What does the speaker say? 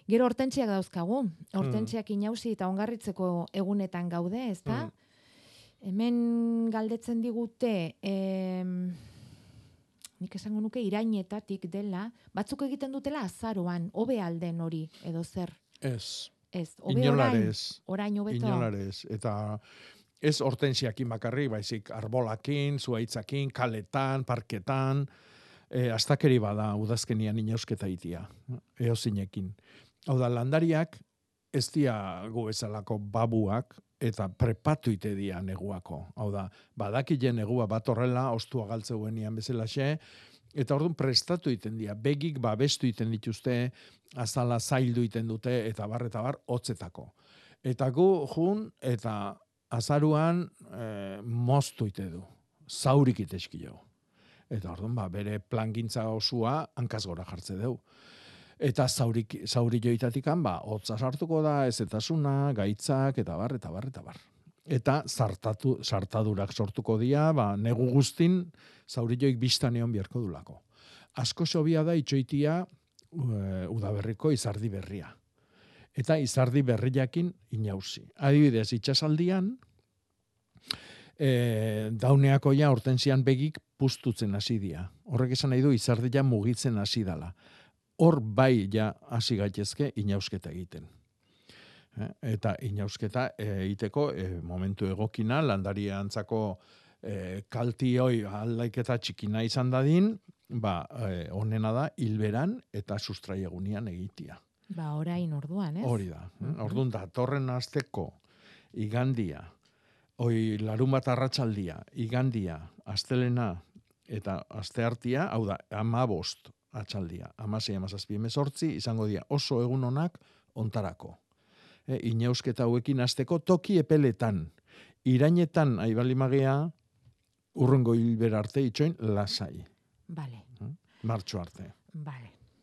Gero hortentziak dauzkagu. Hortentziak inausi eta ongarritzeko egunetan gaude, ezta? Hemen galdetzen digute, nik esango nuke irainetatik dela, batzuk egiten dutela azaroan, hobe alden hori, edo zer? Ez. Ez, hobe orain, Inolarez. orain hobeto. Inolarez. Eta ez hortensiakin bakarrik, baizik arbolakin, zuaitzakin, kaletan, parketan, astakeri bada udazkenian inausketa itia, eozinekin. Hau da, landariak ez dia gu bezalako babuak, eta prepatu ite dia neguako. Hau da, badakile negua bat horrela, ostua galtzeuenian bezalaxe, eta orduan prestatu iten dia, begik babestu iten dituzte, azala zaildu iten dute, eta bar, hotzetako. Eta gu jun, eta azaruan moztu ite du, zaurik iteski jo. Eta orduan, bere plangintza osua hankaz gora jartze dugu. Eta zauri joitatikan, hotza sartuko da, ezetasuna, gaitzak, eta bar. Eta sartadurak sortuko dira, negu guztin, zauri joik biztan egon biharko dulako. Asko sobia da itxoitia udaberriko izardi berria. Eta izardi berriakin inausi. Adibidez, itxasaldian, dauneako ja hortensian begik pustutzen hasi dia. Horrek esan nahi du izardia mugitzen hasi dala. Hor bai ja hasi gaitezke inausketa egiten. Eta inausketa egiteko momentu egokina, landaria antzako kaltioi aldaiketa txikina izan dadin, onena da hilberan eta sustraiegunian egitia. Orain orduan, ez? Hori da. Orduan da, torren asteko igandia, larun bat arratsaldia, igandia, astelena eta asteartia, hau da, 15 atxaldia, 16, 17, 18, izango dira oso egun honak ontarako. Inausketa hauekin hasteko toki epeletan, irainetan aibalimagea, urrengo hilbera arte itxoin lasai. Vale. Martxo arte. Vale.